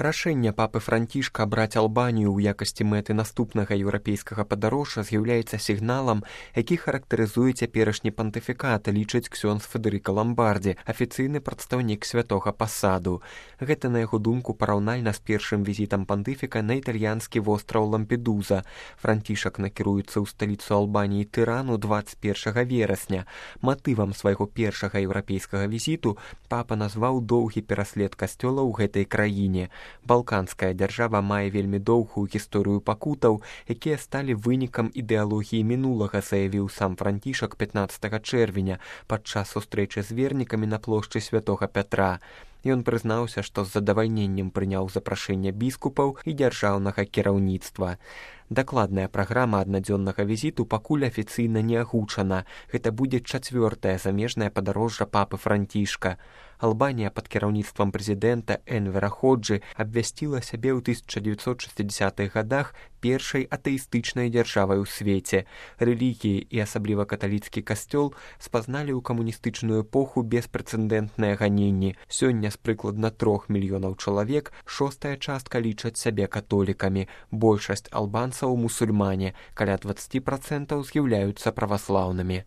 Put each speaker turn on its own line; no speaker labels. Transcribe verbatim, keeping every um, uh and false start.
Рашэнне папы Францішка абраць Албанію ў якасці мэты наступнага еўрапейскага падарожжа з'яўляецца сігналам, які характарызуе цяперашні пантыфікат, лічыць ксёндз Федэрыка Ламбардзі, афіцыйны прадстаўнік святога пасаду. Гэта, на яго думку, параўнальна з першым візітам пантыфіка на італьянскі востраў Лампедуза. Францішак накіруецца ў сталіцу Албаніі Тырану дваццаць першага верасня. Матывам свайго першага еўрапейскага візіту папа назваў доўгі пераслед касцёла ў гэтай краіне. Балканская дзяржава мае вельмі доўгую гісторыю пакутаў, якія сталі вынікам ідэалогіі мінулага, заявіў сам Францішак пятнаццатага чэрвеня падчас сустрэчы з вернікамі на плошчы святога Пятра. Ён прызнаўся, што з задавальненнем прыняў запрашэнне біскупаў і дзяржаўнага кіраўніцтва. Дакладная праграма аднадзённага візіту пакуль афіцыйна не агучана. Гэта будзе чацвёртае замежнае падарожжа папы Францішка. Албанія пад кіраўніцтвам прэзідэнта Энвера Ходжы абвясціла сябе ў тысяча дзевяцьсот шэсцідзясятых гадах першай атэістычнай дзяржавай у свеце. Рэлігіі і асабліва каталіцкі касцёл спазналі ў камуністычную эпоху беспрэцэдэнтныя ганенні. Сёння з прыкладна трох мільёнаў чалавек шостая частка лічаць сябе католікамі. Большасць албанцаў мусульмане, каля дваццаць працэнтаў з'яўляюцца праваслаўнымі.